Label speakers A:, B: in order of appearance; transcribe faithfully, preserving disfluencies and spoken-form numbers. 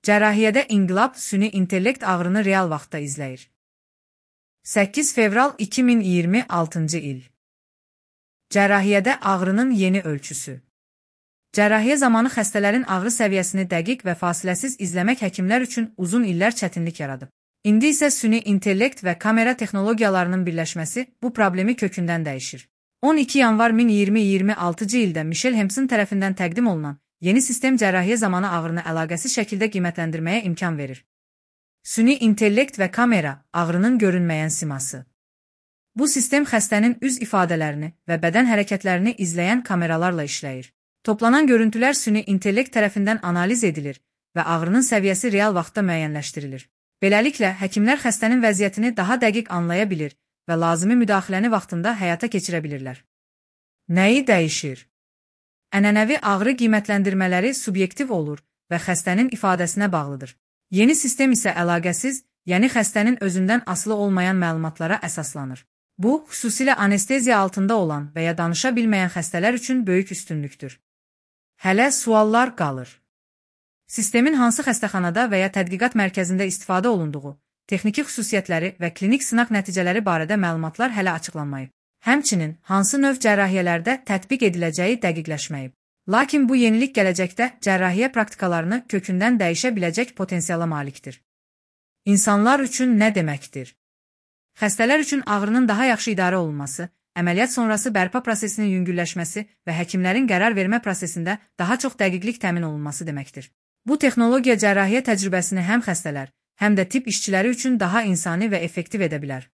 A: Cərrahiyyədə inqilab süni intellekt ağrını real vaxtda izləyir. səkkiz fevral iki min iyirmi altıncı il. Cərrahiyyədə ağrının yeni ölçüsü. Cərrahiyyə zamanı xəstələrin ağrı səviyyəsini dəqiq və fasiləsiz izləmək həkimlər üçün uzun illər çətinlik yaradıb. İndi isə süni intellekt və kamera texnologiyalarının birləşməsi bu problemi kökündən dəyişir. on iki yanvar min iyirmi altıncı ildə Michel Hempson tərəfindən təqdim olunan yeni sistem cərrahiyyə zamanı ağrını əlaqəsiz şəkildə qiymətləndirməyə imkan verir. Süni intellekt və kamera ağrının görünməyən siması. Bu sistem xəstənin üz ifadələrini və bədən hərəkətlərini izləyən kameralarla işləyir. Toplanan görüntülər süni intellekt tərəfindən analiz edilir və ağrının səviyyəsi real vaxtda müəyyənləşdirilir. Beləliklə, həkimlər xəstənin vəziyyətini daha dəqiq anlaya bilir və lazımi müdaxiləni vaxtında həyata keçirə bilirlər. Nəyi dəyişir? Ənənəvi ağrı qiymətləndirmələri subyektiv olur və xəstənin ifadəsinə bağlıdır. Yeni sistem isə əlaqəsiz, yəni xəstənin özündən asılı olmayan məlumatlara əsaslanır. Bu, xüsusilə anesteziya altında olan və ya danışa bilməyən xəstələr üçün böyük üstünlükdür. Hələ suallar qalır. Sistemin hansı xəstəxanada və ya tədqiqat mərkəzində istifadə olunduğu, texniki xüsusiyyətləri və klinik sınaq nəticələri barədə məlumatlar hələ açıqlanmayıb. Həmçinin, hansı növ cərrahiyyələrdə tətbiq ediləcəyi dəqiqləşməyib. Lakin bu yenilik gələcəkdə cərrahiyyə praktikalarını kökündən dəyişə biləcək potensiala malikdir. İnsanlar üçün nə deməkdir? Xəstələr üçün ağrının daha yaxşı idarə olunması, əməliyyat sonrası bərpa prosesinin yüngülləşməsi və həkimlərin qərar vermə prosesində daha çox dəqiqlik təmin olunması deməkdir. Bu texnologiya cərrahiyyə təcrübəsini həm xəstələr, həm də tibb işçiləri üçün daha insani və effektiv edə bilər.